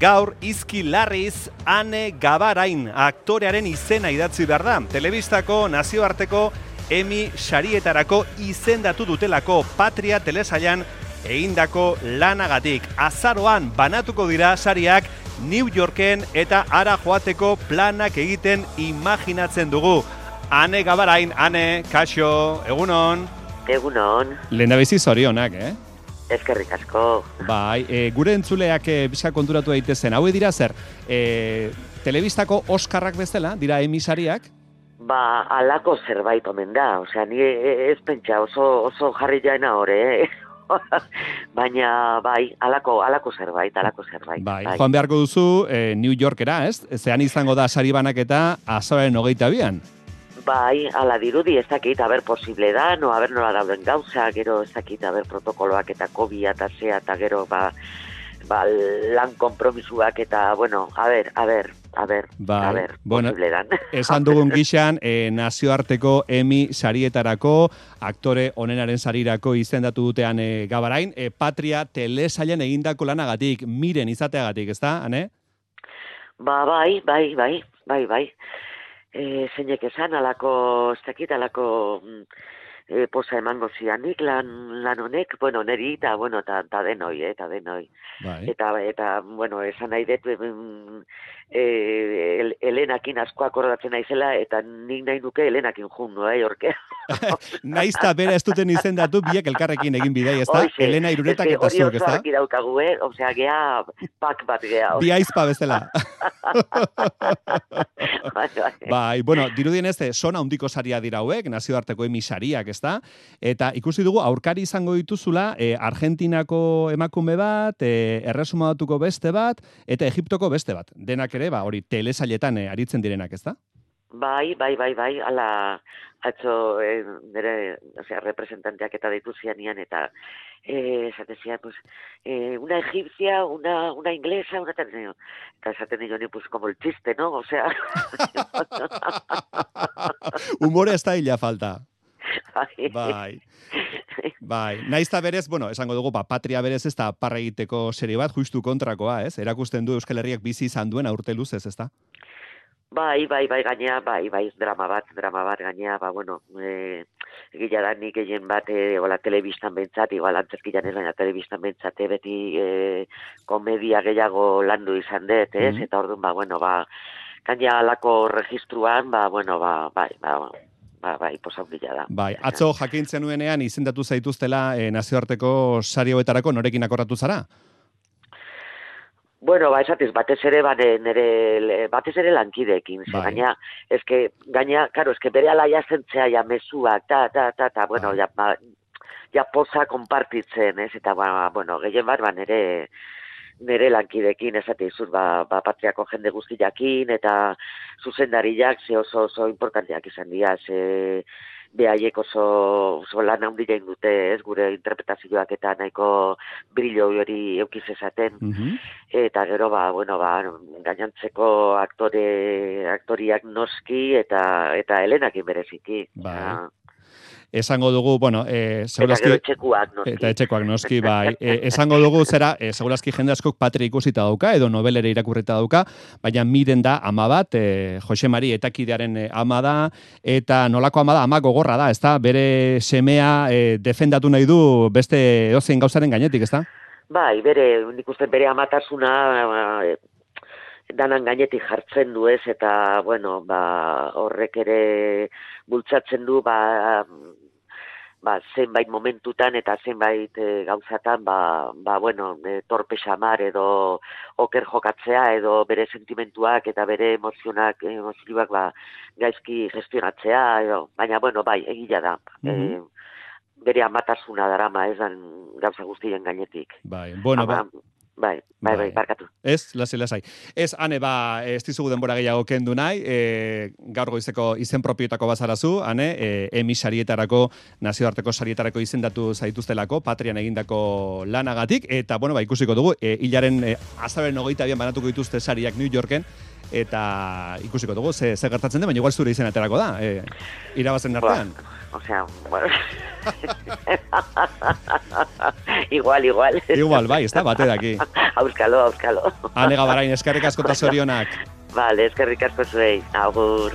Gaur, izki larriz, Ane Gabarain aktorearen izena idatzi behar da. Telebistako nazioarteko Emmy sarietarako izendatu dutelako Patria telesailan egindako lanagatik. Azaroan banatuko dira sariak New Yorken eta hara joateko planak egiten imaginatzen dugu. Ane Gabarain, Ane, kaixo, egunon? Egunon. Lehendabizi zorionak, Eskerrik asko. Bai, gure entzuleak bizka konturatu daitezen. Hau dira zer, telebistako Oskarrak bezala, dira Emmy sariak? Ba, alako zerbait omen da. Osea, ni ez pentsa oso jarri jaena hori, Baina, bai, alako zerbait. Bai, joan beharko duzu New Yorkera, ez? Zean izango da sari banaketa azaroaren 22an. Bai, ala dirudi, ez dakit, posible da, nola dauden gauza, gero ez dakit, protokoloak eta COVID eta zea, eta gero, lan konpromisuak eta, bueno, posible dan. Esan dugun gixan, nazioarteko Emmy sarietarako, aktore onenaren sarirako izendatu dutean Gabarain, Patria telesailan egindako lanagatik, miren izateagatik, ez da, Ane? Bai. Zeinek esan, alako posa emango zianik lan honek, bueno, neri, eta denoi. Bai. Eta, bueno, esan nahi dut, Elenakin asko akordatzen naizela, eta nik nahi nuke Elenakin jundu, orkea. Naizta bera ez duten izendatu, biek elkarrekin egin bidei, ez da? Elena Iruretak eta zuk, ez da? Hori oso daukagu, osea, gea, pak bat gea. Bi aizpa bezala. Bai, bueno, dirudienez, sona handiko saria dira hauek, nazioarteko Emmy sariak, ez da? Eta ikusi dugu, aurkari izango dituzula, Argentinako emakume bat, Erresumatuko beste bat, eta Egiptoko beste bat. Denak ere, hori telesailetan aritzen direnak, ez da? Bai, ala, atzo, nire, representanteak eta ditu zianian, eta esatezia, pues, una egipcia, una inglesa, eta esaten nio, pues, como el chiste, ¿no? O sea... Humore ez da hila falta. Bai. Naizta berez, bueno, esango dugu, Patria berez ez da parra egiteko serie bat, justu kontrakoa, ez? Erakusten du Euskal Herriak bizi izan duen aurte luzez, ez da? Bai, gainea, drama bat, gainea, bueno, egila da nik egin bat, telebistan bentsat, igual antzerkian ez baina telebistan bentsate, beti komedia gehiago landu izan dut, ez? Eta orduan, gainea alako registruan, posaundila da. Bai, atzo jakintzen nuenean izendatu zaituztela nazioarteko sari hauetarako norekin akorratu zara? Bueno, esatez, batez ere lankideekin, gaina, bere alaia zentzea, mesuak, bueno, ja posa konpartitzen, ez, eta, gehien bat, nire lankideekin, esate izuz, Patriako jende guztiakin, eta zuzendariak, oso importanteak izan dira, behaiek oso lan handia indute, ez, gure interpretazioak eta nahiko brillo hori eukiz esaten. Eta gero, gainantzeko aktoriak noski eta Elenakin bereziki. Esango dugu, bueno, segurazki... Eta etxekoak noski, bai. Esango dugu, segurazki jende askok Patria ikusita dauka, edo novelere irakurrita dauka, baina miren da ama bat, Jose Mari etakidearen ama da, eta nolako ama da, ama gogorra da, ez da? Bere semea defendatu nahi du beste edozein gauzaren gainetik, ez da? Bai, nik uste bere amatasuna danan gainetik jartzen du, ez, eta, bueno, horrek ere bultzatzen du, zenbait momentutan eta zenbait gauzatan, torpe xamar edo oker jokatzea edo bere sentimentuak eta bere emozioak gaizki gestionatzea, baina, egila da. Bere amatasuna darama esan gauza guztien gainetik. Bai, barkatu. Ez, lasai. Ez, Ane, ez dizugu denbora gehiago kendu nahi, gaur goizeko izen propioetako bazarazu, Ane, Emmy sarietarako, nazioarteko sarietarako izendatu zaituztelako, Patrian egindako lanagatik, eta, ikusiko dugu, hilaren azaroaren 22an banatuko dituzte sariak New Yorken, eta ikusiko dugu ze gertatzen den, baina igual zure izen aterako da, irabazen artean. Osea, bueno. igual. Igual, bai, ez da, bate daki. Auskalo. Ane Gabarain, eskerrik asko eta zorionak. Vale, eskerrik asko zuei. Agur.